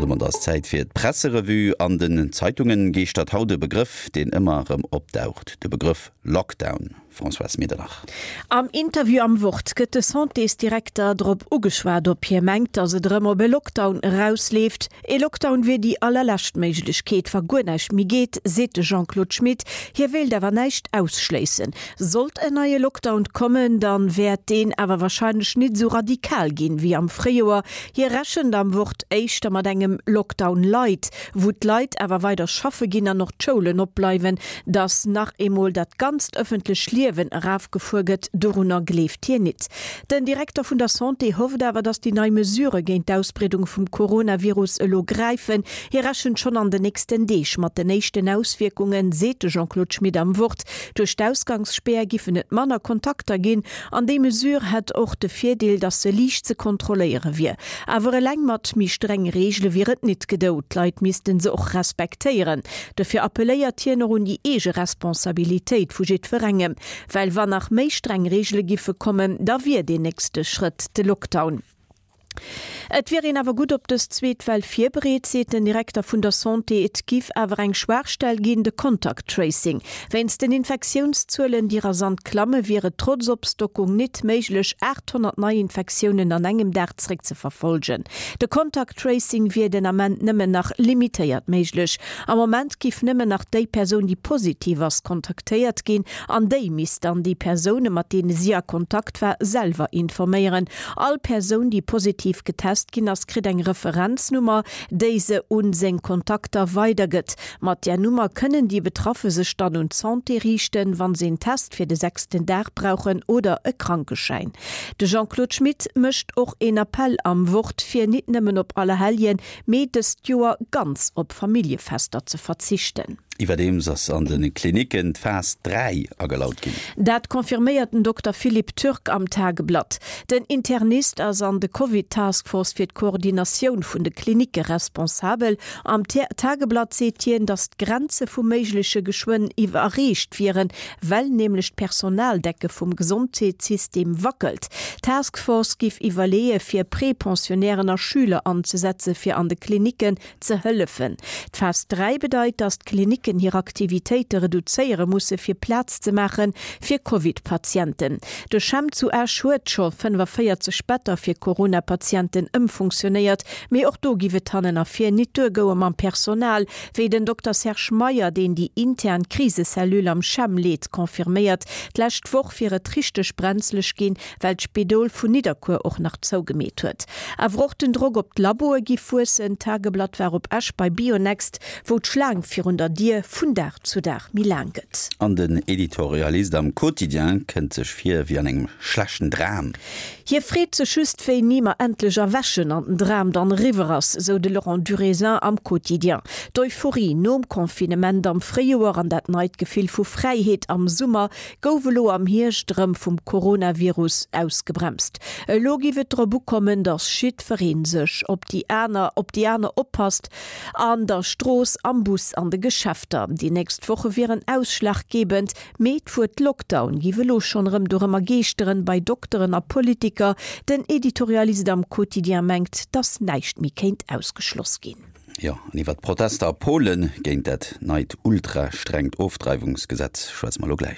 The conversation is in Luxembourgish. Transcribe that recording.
Domat ass Zäit fir d'Presserevue. An den Zeitungen geeschtert haut e Begrëff, deen ëmmer erëm opdaucht, de Begrëff Lockdown. Françoise Medernach. Am Interview am Wort gëtt de Santésdirekter drop ugeschwat, ob hie mengt, datt et erëm op e Lockdown erausleeft. E Lockdown wier déi allerlescht Méiglechkeet, wa guer näischt méi geet, seet de Jean-Claude Schmit. Hie wéilt awer näischt ausschléissen. Sollt en neie Lockdown kommen, dann wäert deen awer warscheinlech nit esou radikal ginn, wéi am Fréijoer. Hie rechent am Wort éischter mat engem Lockdown light, wou d'Leit awer weider schaffe ginn an och d'Schoulen opbleiwen. Datt nach eemol dat ganzt ëffentlech Liewen erafgefuer gëtt, dorunner gleeft hien nit. Den Direkter vun der Santé hofft awer, datt déi nei Mesurë géint d'Ausbreedung vum Coronavirus elo gräifen. Hie rechent schonn an den nächsten Deeg mat den éischten Auswierkungen, seet de Jean-Claude Schmit am Wort. Duerch d'Ausgangsspär giffen et manner Kontakter ginn an déi Mesure hätt och de Virdeel, datt se liicht ze kontrolléiere wier. Awer eleng mat méi strenge Reegele wier et nit gedou, d'Leit misste se och respektéieren. Dofir appelléiert hien och un déi eege Responsabilitéit vu jiddwerengem. Well wann nach méi streng Reegele giffe kommen, da wier deen nächste Schrëtt de Lockdown. Et wier een awer gutt op dës zweet Well virbereet, seet den Direkter vun der Santé. Et giff awer eng Schwaachstell ginn, de Contact Tracing. Wéinst den Infektiounszuelen, déi rasant klamme, wier et trotz Opstockung nit méiglech, 800 Neiinfektiounen an engem Dag zeréckzeverfollgen. De Contact Tracing wier den Ament nëmmen nach limitéiert méiglech. Am Moment giff nëmmen nach déi Persoun, déi positiv ass, kontaktéiert ginn an déi misst dann déi Persoune mat deene si a Kontakt war, selwer informéieren. All Persoun, déi positiv getest ginn ass, kritt eng Referenznummer, déi se un seng Kontakter weidergëtt. Mat där Nummer kënnen déi Betraffe sech dann un d'Santé riichten, wann se een Test fir de sechsten Dag brauchen oder e Krankeschäin. De Jean-Claude Schmit mécht och een Appell am Wort, fir nit nëmmen op Allerhelljen, mee dëst Joer ganz op Familljefester ze verzichten. Iwwerdeems ass an de Klinicken d'Phas 3 agelaut ginn. Dat confirméiert den Dokter Philippe Türk am Tageblatt. Den Internist ass an de Covid-Task Force fir d'Koordinatioun vun de Klinicke responsabel. Am Tageblatt seet hien, datt d'Grenze vum Méigleche geschwënn iwwerreecht wieren, well nämlech d'Personaldecke vum Gesondheetssystem wackelt. D'Task Force giff iwwerleeë fir Prepensionnairen a Schüler anzesetze fir an de Klinicken ze hëllefen. D'Phas 3 bedeit, datt d'Klinicken hir Aktivitéite reduzéiere musse fir Plaz ze maache fir Covid-Patienten. De CHEM zu Esch huet scho 45 Better fir Corona-Patienten ëmfunktionéiert, mee och do giff et hannen a vir nit duergoue mam Personal. Wéi den Dokter Serge Meyer, deen déi intern Krisecellule am CHEM leet, confirméiert, d'lescht Woch wier et richteg brenzlech ginn, well d'Spidol vun Nidderkuer och nach zougemeet huet. Awer och den Drock op d'Laboe giff wuessen. D'Tageblatt war op Esch bei Bionext, wou d'Schlaang virun der Dier vun Dag zu Dag méi laang gëtt. An den Editorialist am Quotidien kënnt sech vir wéi an engem schlechten Dram. Hie freet sech just, wéini mer endlech erwächen an den Dram dann eriwwer ass, sou de Laurent Durézin am Quotidien. D'Euphorie nom Confinement am Fréijoer an dat neit Gefill vu Fräiheet am Summer gouf elo am Hierscht erëm vum Coronavirus ausgebremst. Elo giff et drop ukommen, datt jiddweree sech op déi aner op déi aner oppasst, an der Strooss, am Bus, an de Geschäfter. Déi nächst Woche wieren ausschlaggebend. Mee d'Wuert Lockdown giff elo schonn erëm dorëmmer geeschteren, bei Dokteren a Politiker. Den Editorialist am Quotidien mengt, datt näischt méi kéint ausgeschloss ginn. Jo, an iwwer d'Protester a Polen géint dat neit ultra-strengt Ofdreiwungsgesetz schwätze mer elo gläich.